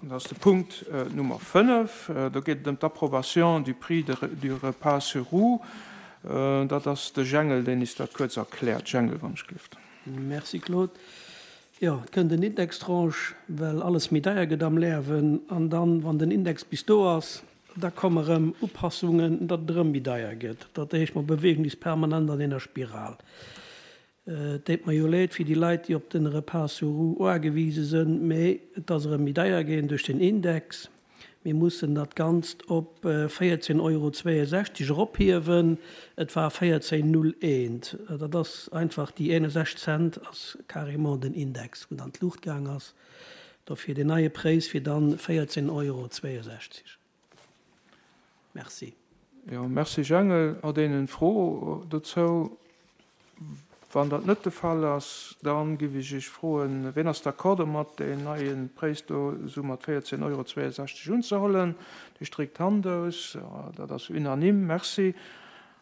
Dat ass de Punkt Nummer 5. Do geet et ëm d'Approbation du prix du repas sur roues. Dat ass de Jengel, deen is dat kuerz erkläert. Jengel, wann ech gelift. Merci, Claude. Jo, et kënnt en Indextranche, well alles méi deier gëtt am lerwen. An dann, wann den Index bis do ass, da komme rëm Upassungen, datt et erëm méi deier gëtt. Dat heescht, mer beweegen is permanent an ener Spiral. Et deet mer jo leed fir déi Leit, déi op den Repas sur roues uagewise sënn, mee et ass erëm méi deier ginn duerch den Index. Mir mussen dat Ganzt op 14,62 Euro erophiewen. Et war 14,01. Dat ass einfach, déi 61 Cent ass carrément den Index, wou dann d'Luucht gaang ass. Dofir deen neie Präis wier dann 14,62 Euro. Merci. Jo, merci Jangel. Huet een en Fro dozou? Wann dat net de Fall ass, da giff ech Iech froen, ween ass d'accord domat, deen neie Präis do esou mat 14,62 Euro unzehollen? Dir stréckt d'Hand aus. Dat ass unanime. Merci.